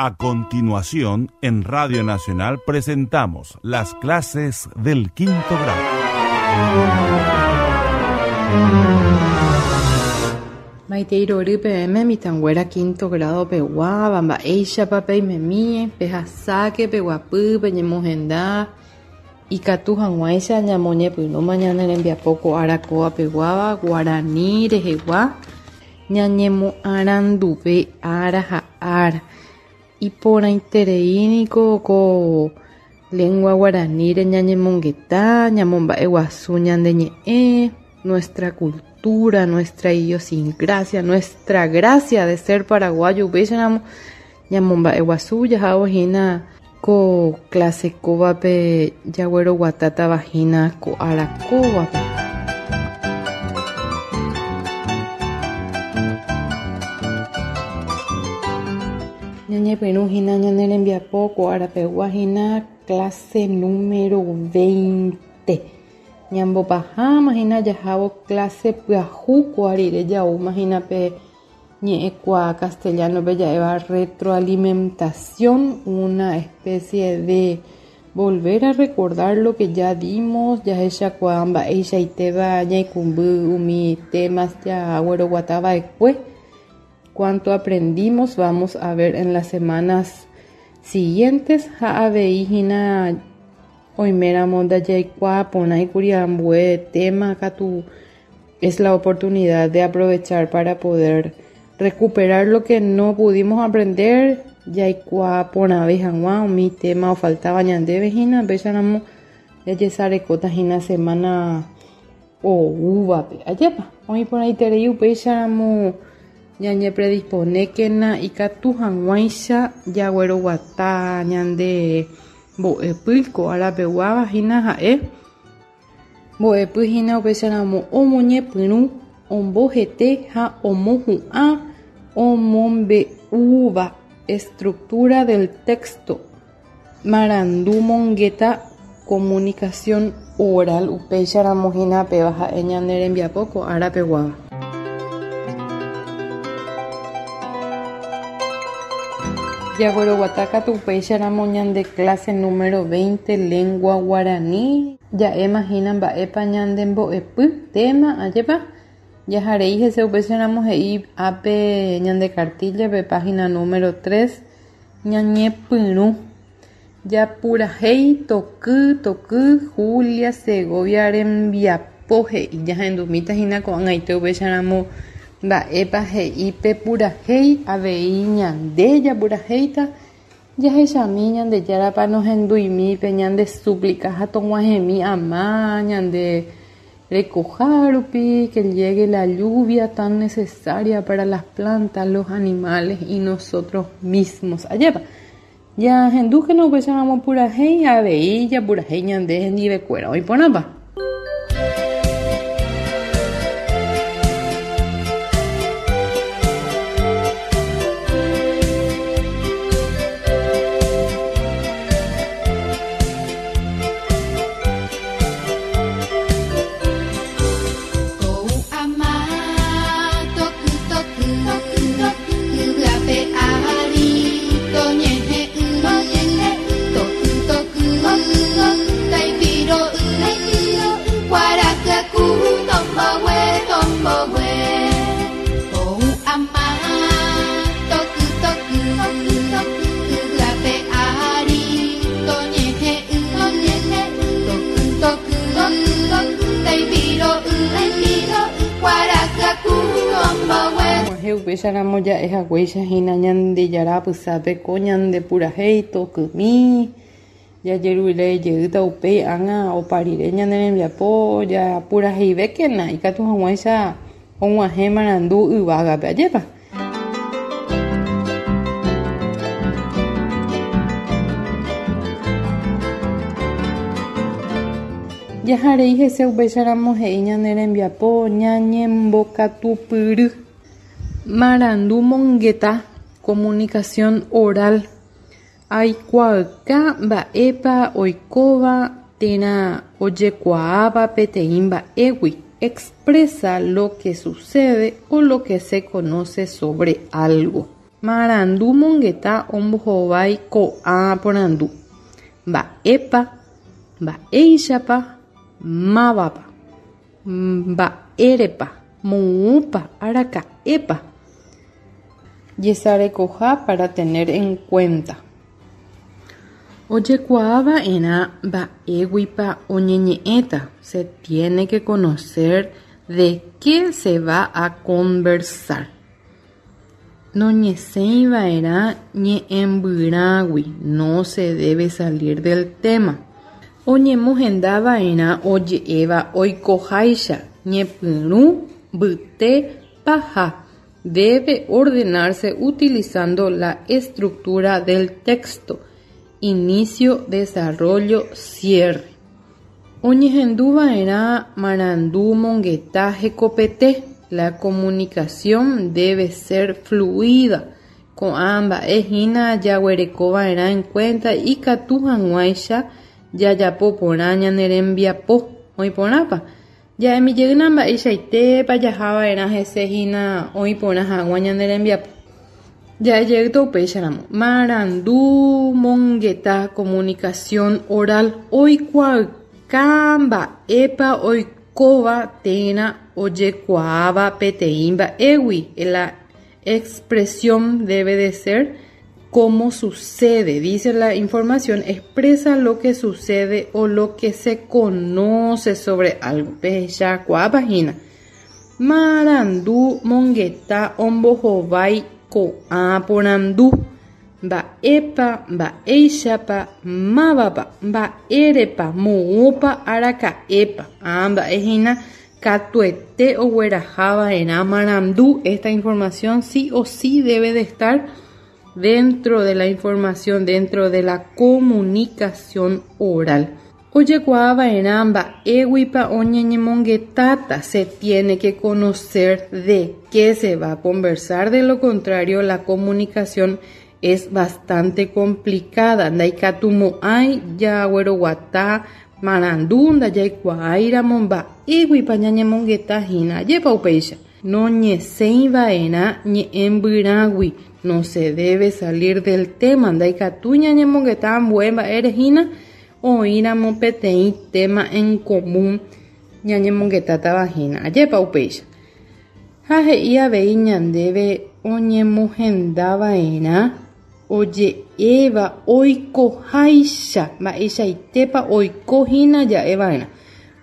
A continuación, en Radio Nacional presentamos las clases del quinto grado. Maitei rory peẽme mitãnguéra quinto grado peguáva, mba'éichapa peimemie, pehasáke, peguapy, peñemohenda, ikatu hag̃uáicha ñamoñepyrũma ñane rembiapo ko ára kóva peguáva guarani rehegua ñañemoaranduve ára ha ára. Iporãiterei niko ko lengua guaraníre ñañemongeta, ñamomba'eguasu ñande ñe'ẽ, nuestra cultura, nuestra idiosincrasia, nuestra gracia de ser paraguayo upéicharamo ñamomba'eguasu jahávo hína ko clase kóvape jagueroguatátava hína ko ára kóvape. Ñañepyrũ hína ñane rembiapo ko arapegua hína clase número 20. Ñambopaháma hína jahávo clase pyahu kóa rire jaúma hína pe ñe'ẽkuaa castellano-pe ja'éva retroalimentación, una especie de volver a recordar lo que ya dimos, jahechakuaa mba'eichaitéva ñaikũmby umi temas jagueroguatava'ekue. Cuánto aprendimos vamos a ver en las semanas siguientes ha avei hína oiméramo ndajaikuaa porãikuri ambue tema katu es la oportunidad de aprovechar para poder recuperar lo que no pudimos aprender jaikuaa porãve hag̃ua umi tema ofaltava ñandéve hína upéicharamo jajesarekóta hína semana oúvape. Ajépa oĩ porãiterei upéicharamo ñañepredisponékena ikatu hag̃uáicha jagueroguata ñande mbo'epy ko arapeguáva hína ha'e mbo'epy hína upéicharamo omoñepyrũ ombohete ha omohu'ã omombe'úva estructura del texto marandu mongeta comunicación oral upéicharamo hína péva ha'e ñane rembiapo ko arapeguáva. Jagueroguata katu upéicharamo ñande clase número 20 lengua guaraní ja'éma hína mba'épa ñande mbo'epy tema ajépa jaharei hese upéicharamo he'i ápe ñande cartilla-pe página número 3 ñañepyrũ japurahéi toky toky Julia Segovia rembiapo he'i jahendumíta hína ko'ag̃aite upéicharamo mba'épa he'i pe purahéi avei ñande japurahéita jahechami Ñandejárapa nohenduimi pe ñande súplica ha tog̃uahẽmi ama ñande rekoha rupi que llegue la lluvia tan necesaria para las plantas, los animales y nosotros mismos. Ajépa jahendúkena upéicharamo purahéi ha avei japurahéi ñande hendivekuéra oĩporãpa. Ou ama, toky, toky, yvy ape ári toñehe'ỹ, toky, toky, taipiro'y, kuarahy aku tombogue, tombogue. Ou ama, toky, toky, yvy ape ári toñehe'ỹ, toky, toky, taipiro'y, kuarahy aku tombogue. Og̃uahẽ upéicharamo ja'ehaguéicha hína Ñandejára apysápe ko ñande purahéi tokymi jajerure jeýta upéi ág̃a opa rire ñane rembiapo japuraheivékena ikatu hag̃uáicha og̃uahẽ marandu yvágape. Ajépa. Jaharei hese upéicharamo he'i ñane rembiapo ñañembokatupyry. Marandu mongeta comunicación oral aikuaauka mba'épa oikóva térã ojekuaáva peteĩ mba'égui expresa lo que sucede o lo que se conoce sobre algo. Marandu mongeta ombohovái ko'ã porandu. Mba'épa, mba'éichapa, mávapa. Mba'érepa, moõpa, araka'épa. Jesarekoha para tener en cuenta. Ojekuaava'erã mba'éguipa oñeñe'ẽta. Se tiene que conocer de qué se va a conversar. Noñesẽiva'erã ñe'ẽmbyrãgui. No se debe salir del tema. Oñemohendava'erã oje'éva oikoháicha ñepyrũ, mbyte, paha. Debe ordenarse utilizando la estructura del texto. Inicio, desarrollo, cierre. Oñehenduva'erã marandu mongeta hekopete. La comunicación debe ser fluida. Ko'ã mba'e hína jaguerekova'erã en cuenta ikatu hag̃uáicha jajapo porã ñane rembiapo. Oĩporãpa? Ja'emijeýna mba'eichaitépa jahava'erã hese hína oĩporã hag̃ua ñane rembiapo. Ja'ejeýta upéicharamo. Marandu mongeta comunicación oral oikuaauka mba'épa oikóva térã ojekuaáva peteĩ mba'égui. La expresión debe de ser como sucede. Dice la información, expresa lo que sucede o lo que se conoce sobre algo. Pehechakuaápa hína. Marandu mongeta ombohovái ko'ã porandu. Mba'épa, mba'éichapa, mávapa, mba'érepa, moõpa, araka'épa. Ã mba'e hína katuete oguerahava'erã marandu. Esta información sí o sí debe de estar dentro de la información, dentro de la comunicación oral. Ojekuaava'erã mba'éguipa oñeñemongetáta. Se tiene que conocer de qué se va a conversar, de lo contrario la comunicación es bastante complicada. Ndaikatumo'ãi jagueroguata marandu ndajaikuaáiramo mba'éguipa ñañemongeta hína. Ajépa upéicha. Noñesẽiva'erã ñe'ẽmbyrãgui. No se debe salir del tema. Ndaikatúi ñañemongeta ambue mba'ére hína oĩramo peteĩ tema en común ñañemongetátava hína. Ajépa upéicha. Ha he'i avei ñandéve oñemohendava'erã oje'éva oikoháicha mba'eichaitépa oiko hína ja'eva'erã.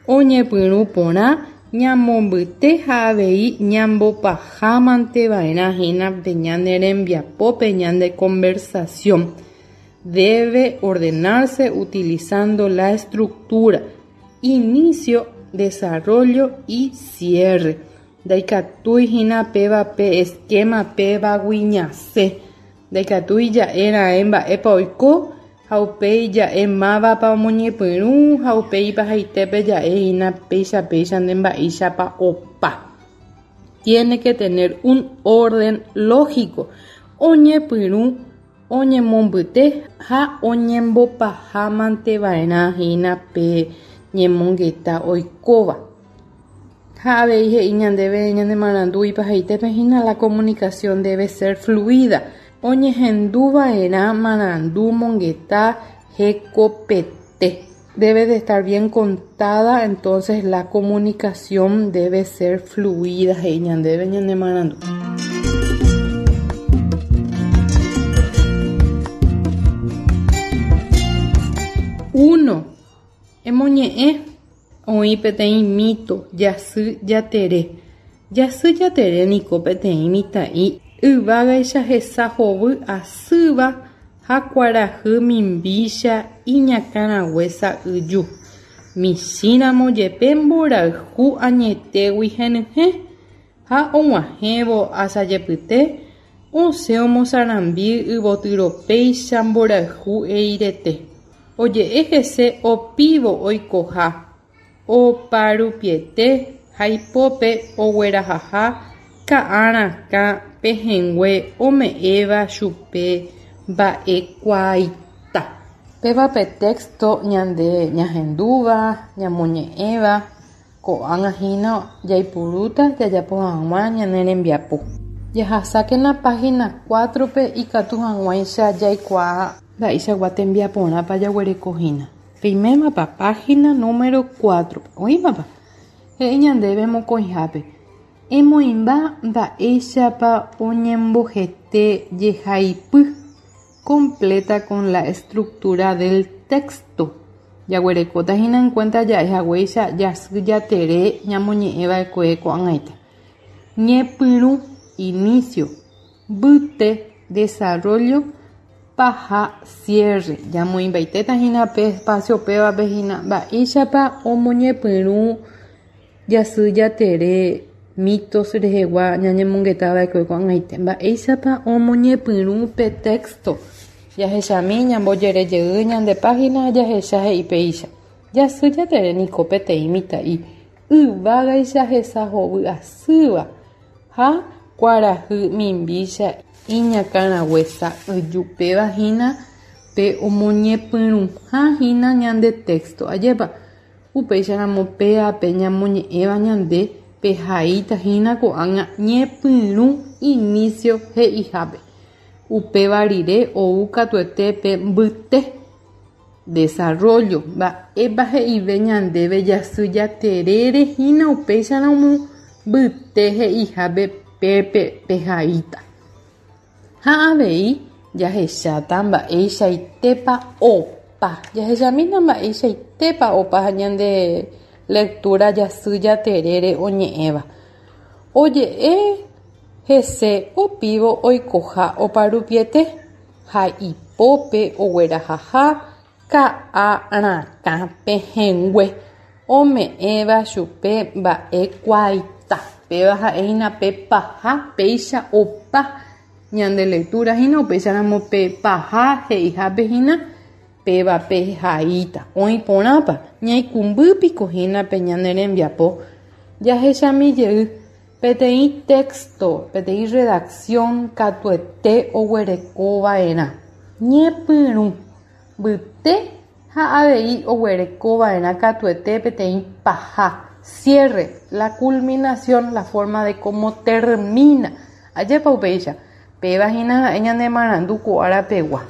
Oñepyrũ porã ñamombyte ha avei ñambopahámanteva'erã hína pe ñane rembiapópe ñande conversación. Debe ordenarse utilizando la estructura, inicio, desarrollo y cierre. Ndaikatúi hína péva pe esquema pévagui ñasẽ. Ndaikatúi ja'e raẽ mba'épa oiko ha upéi ja'e mávapa omoñepyrũ ha upéi ipahaitépe ja'e hína péicha péicha nde mba'éichapa opa. Tiene que tener un orden lógico. Oñepyrũ, oñemombyte ha oñembopahámanteva'erã hína pe ñemongeta oikóva. Ha avei he'i ñandéve ñane marandu ipahaitépe hína la comunicación debe ser fluida. Oñehenduva'erã marandu mongeta hekopete. Debe de estar bien contada, entonces la comunicación debe ser fluida. He'i ñandéve ñane marandu. Uno. Emoñe'ẽ oĩ peteĩ mito jasy jatere. Jasy jatere niko peteĩ mitã'i yvágaicha hesa hovy asýva ha kuarahy mimbícha iñakãrague sa'yju. Michĩramo jepe mborayhu añetégui henyhẽ ha og̃uahẽvo asajepyte osẽ omosarambi yvotyropéicha mborayhu eirete. Oje'e hese opívo oikoha oparupiete ha ipópe oguerahaha ka'arakã pehẽngue ome'ẽva chupe mba'ekuaaita. Péva pe texto ñande ñahendúva, ñamoñe'ẽva, ko'ág̃a hína jaipurúta jajapo hag̃ua ñane rembiapo. Jahasákena página 4-pe ikatu hag̃uáicha jaikuaa mba'eichagua tembiaporãpa jaguerekohína. Peimémapa página número 4-pe. Oĩmapa? He'i ñandéve mokõihápe. Emoĩmba mba'éichapa oñembohete jehaipy. Completa con la estructura del texto. Jaguerekóta hína en cuenta ja'e haguéicha jasy jatere ñamoñe'ẽva'ekue ko'ag̃aite. Ñepyrũ, inicio, mbyte, desarrollo, paha, cierre. Jamoĩmbaitéta hína pe espacio pévape hína mba'éichapa omoñepyrũ jasy jatere mitos rehegua ñañemongetava'ekue ko'ag̃aite. Mba'éichapa omoñepyrũ pe texto. Jahechami ñambojerejey ñande página jahecha he'i péicha. Jasy jatere niko peteĩ mitã'i yvágaicha hesa hovy asýva ha kuarahy mimbícha iñakãrague sa'yju péva hína pe omoñepyrũha hína ñande texto. Ajépa upéicharamo péape ñamoñe'ẽva ñande pehaíta hína ko'ág̃a ñepyrũ inicio he'ihápe. Upéva rire ou katuete pe mbyte. Desarrollo. Mba'épa he'ive ñandéve jasy jaterére hína upéicharamo mbyte he'ihápe pépe pehaíta. Ha avei jahecháta mba'eichaitépa opa. Jahechamína mba'eichaitépa opa ñande lectura jasy jaterére oñe'ẽva. Oje'e hese opívo oikoha oparupiete ha ipópe oguerahaha ka'a rakã pehẽngue ome'ẽva chupe mba'ekuaaita. Péva ha'ehína pe paha péicha opa ñande lectura hína upéicharamo pe paha he'ihápe hína péva pehaíta. Oĩ porãpa ñaikũmbýpiko hína pe ñane rembiapo jahechami jey peteĩ texto, peteĩ redacción katuete oguerekova'erã. Ñepyrũ, mbyte ha avei oguerekova'erã katuete peteĩ paha. Cierre, la culminación, la forma de cómo termina. Ajépa upéicha. Péva hína ha'e ñane marandu ko árapegua.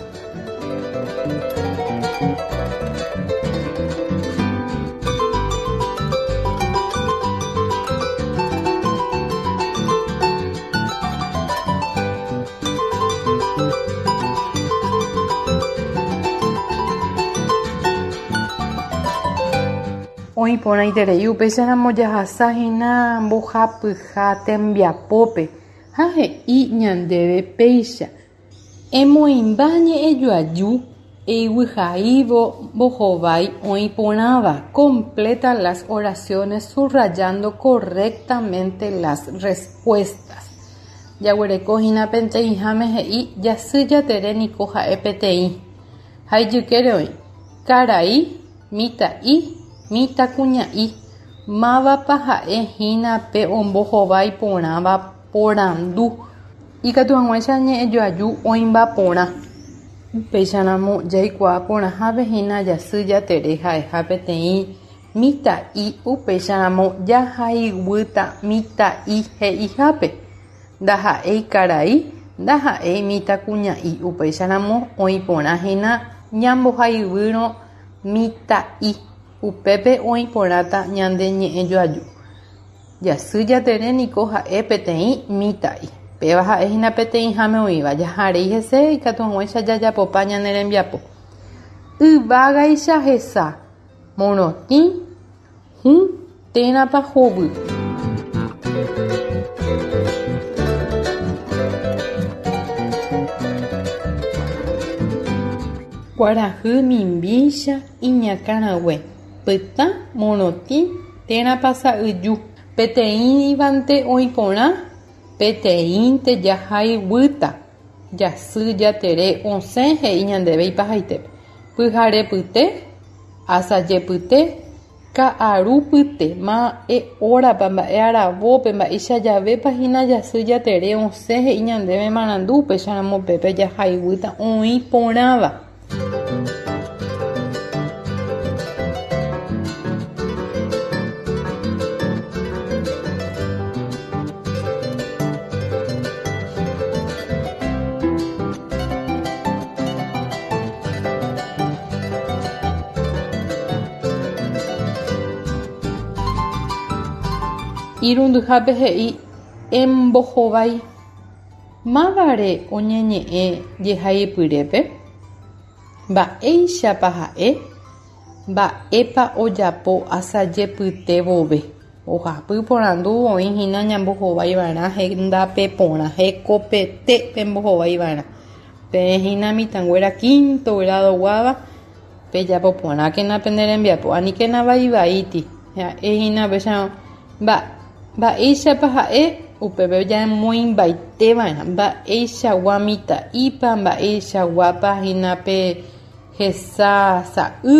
Oĩ porãiterei upéicharamo jahasa hína mbohapyha tembiapópe ha he'i ñandéve péicha. Emoĩmba ñe'ẽjoaju eiguihaívo mbohovái oĩ porãva. Completa las oraciones subrayando correctamente las respuestas. Jaguereko hína peteĩháme he'i jasy jatere niko ha'e peteĩ. Ha ijykére oĩ. Karai, mitã'i, mitãkuña'i. Mávapa ha'e hína pe ombohovái porãva porandu. Ikatu hag̃uáicha ñe'ẽjoaju oĩmba porã. Upéicharamo jaikuaa porãhápe hína jasy jatere ha'eha peteĩ mitã'i upéicharamo jahaiguýta mitã'i he'ihápe. Ndaha'éi karai, ndaha'éi mitãkuña'i upéicharamo oĩ porã hína ñambohaiguýrõ mitã'i. Upépe oĩ porãta ñande ñe'ẽjoaju. Jasy jatere niko ha'e peteĩ mitã'i. Péva ha'e hína peteĩháme oĩva. Jaharei hese ikatu hag̃uáicha jajapopa ñane rembiapo. Yvágaicha hesa, morotĩ, hũ térãpa hovy. Kuarahy mimbícha iñakãrague, pytã, morotĩ térãpa sa'yju. Peteĩvante oĩ porã, peteĩnte jahaiguýta. Jasy jatere osẽ he'i ñandéve ipahaitépe. Pyharepyte, asajepyte, ka'arupyte, mba'e órapa, mba'e aravópe, mba'éicha javépa hína jasy jatere osẽ he'i ñandéve marandu upéicharamo pépe jahaiguýta oĩ porãva. Irundyhápe he'i embohovái mávare oñeñe'ẽ jehaipyrépe, mba'éichapa ha'e, mba'épa ojapo asajepyte vove. Ohapy porandu oĩ hína ñambohovái va'erã hendápe porã, hekopete pembohovái va'erã. Peẽ hína mitãnguéra quinto grado guáva pejapo porãkena pene rembiapo, aníkena vaivaíti. Ha'e hína upéicharõ mba'éichapa ha'e upépe jamoĩmbaite va'erã, mba'eichagua mitã'ípa, mba'eichaguápa hína pe hesa sa'y,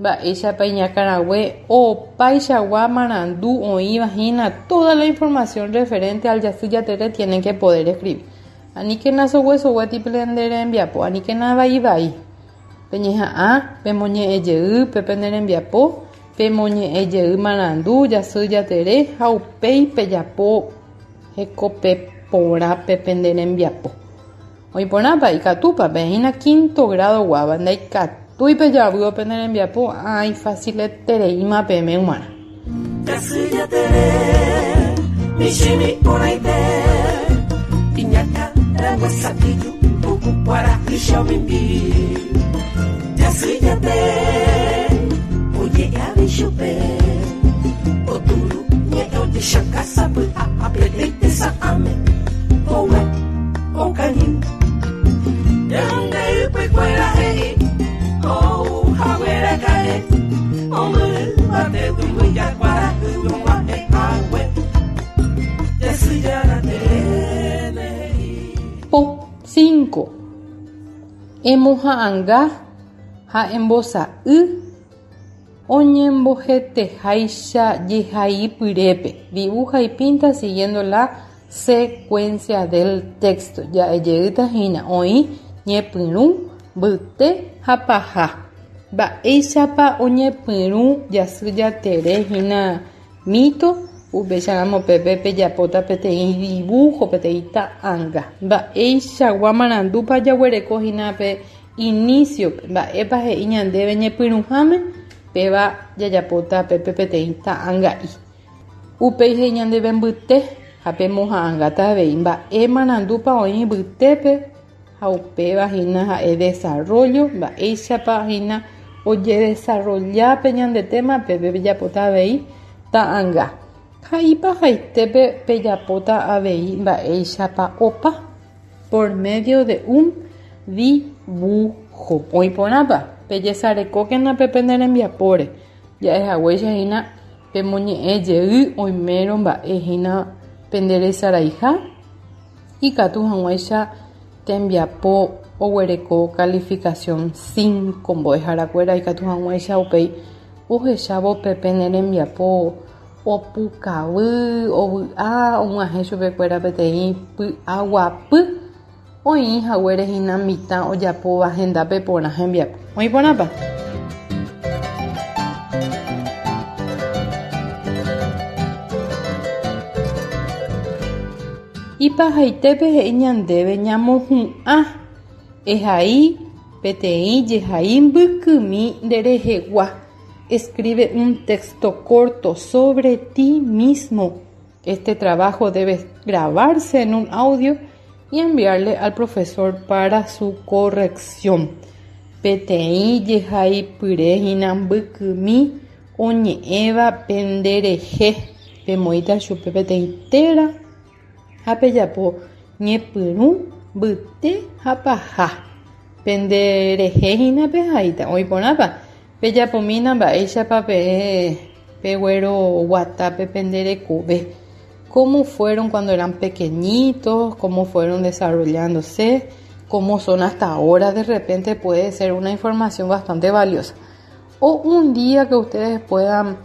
mba'éichapa iñakãrague, opaichagua marandu oĩva hína, toda la información referente al jasy jatere tienen que poder escribir. Aníkena soguesoguéti pende rembiapo, aníkena vaivai. Peñeha'ã pemoñe'ẽjey pe pene rembiapo, pemoñe'ẽjey marandu jasy jatere ha upéi pejapo hekópe porã pe pende rembiapo. Oĩ porãpa ikatúpa peẽ hína quinto grado guáva ndaikatúi pejavývo pene rembiapo ã ifaciletereíma peẽme g̃uarã. Jasy jatere, michĩmi porãite, iñakã rangue sa'yju puku kuarahy omimbi. Jasy jatere, oje'e chupe, oturu ñe'ẽ ojechaka sapy'a ha peteĩ tesa'ãme hogue okañy. Ñande ypykuéra he'i ou hagueraka'e omyvatégui mbyja kuarahy og̃uahẽ hague. Jasy jatere he'i. Po 5. Emoha'ãnga ha embosa'y oñemboheteháicha jehaipyrépe. Dibuja y pinta siguiendo la secuencia del texto. Ja'ejeýta hína oĩ ñepyrũ, mbyte ha paha. Mba'éichapa oñepyrũ jasy jatere hína mito, upéicharamo pépe pejapóta peteĩ dibujo, peteĩ ta'ãnga. Mba'eichagua marandúpa jaguereko hína pe inicio-pe, mba'épa he'i ñandéve ñepyrũháme, péva jajapóta pépe peteĩ ta'ãnga'i. Upéi he'i ñandéve mbyte ha pemoha'ãngáta avei mba'e marandúpa oĩ mbytépe ha upéva hína ha'e desarrollo, mba'éichapa hína ojedesarrolla pe ñande tema pépe pejapóta avei ta'ãnga. Ha ipahaitépe pejapóta avei mba'éichapa opa por medio de un dibujo. Oĩ porãpa pejesarekókena pe pene rembiapóre. Ja'ehaguéicha hína pemoñe'ẽjey oimérõ mba'e hína penderesaraiha ikatu hag̃uáicha tembiapo oguereko calificación 5 mbo'eharakuéra ikatu hag̃uáicha upéi ohechávo pe pene rembiapo opukavy, ovy'a, og̃uahẽ chupekuéra peteĩ py'aguapy oĩ haguére hína mitã ojapóva hendápe porã hembiapo. Oĩ porãpa? Ipahaitépe he'i ñandéve ñamohu'ã ehai peteĩ jehai mbykymi nderehegua. Escribe un texto corto sobre ti mismo. Este trabajo debe grabarse en un audio y enviarle al profesor para su corrección. Peteĩ jehaipyre hína mbykymi oñe'ẽva penderehe. Pemoĩta chupe peteĩ téra ha pejapo ñepyrũ, mbyte ha paha. Penderehe hína pehaíta. Oĩ porãpa? Pejapomína mba'éichapa peẽ pegueroguatápe penderekove. Cómo fueron cuando eran pequeñitos, cómo fueron desarrollándose, cómo son hasta ahora, de repente puede ser una información bastante valiosa. O un día que ustedes puedan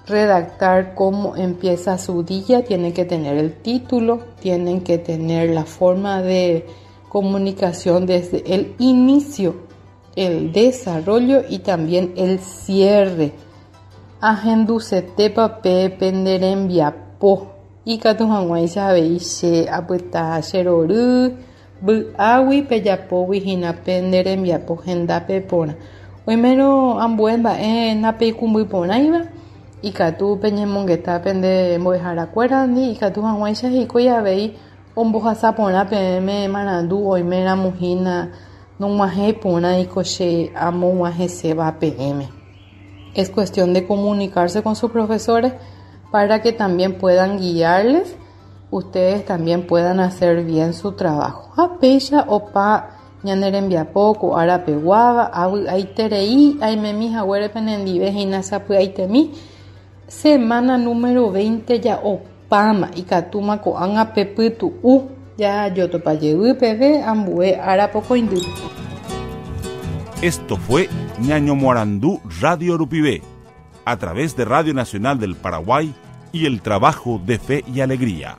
redactar cómo empieza su día, tienen que tener el título, tienen que tener la forma de comunicación desde el inicio, el desarrollo y también el cierre. Ahendusetépa pe penderembiapo ikatu hag̃uáicha avei che apyta cherory vy'águi pejapógui hína penderembiapo hendápe porã. Oimérõ ambue mba'e napeikũmby porãiva. Ikatu peñemongeta pende mbo'eharakuérandi ikatu hag̃uáicha hikuái avei ombohasa porã peẽme marandu oiméramo hína nog̃uahẽ porãiko che amog̃uahẽséva peẽme. Es cuestión de comunicarse con sus profesores para que también puedan guiarles, ustedes también puedan hacer bien su trabajo. Ha péicha opa ñane rembiapo ko ára peguáva, avy'aiterei aimemi haguére penendive hína sapy'aitemi, semana número 20 ja opáma, ikatúma ko'ág̃a pepytu'u jajotopa jey peve ambue ára pokõindýpe. Esto fue Ñañomoarandu Radio Rupive, a través de Radio Nacional del Paraguay y el trabajo de Fe y Alegría.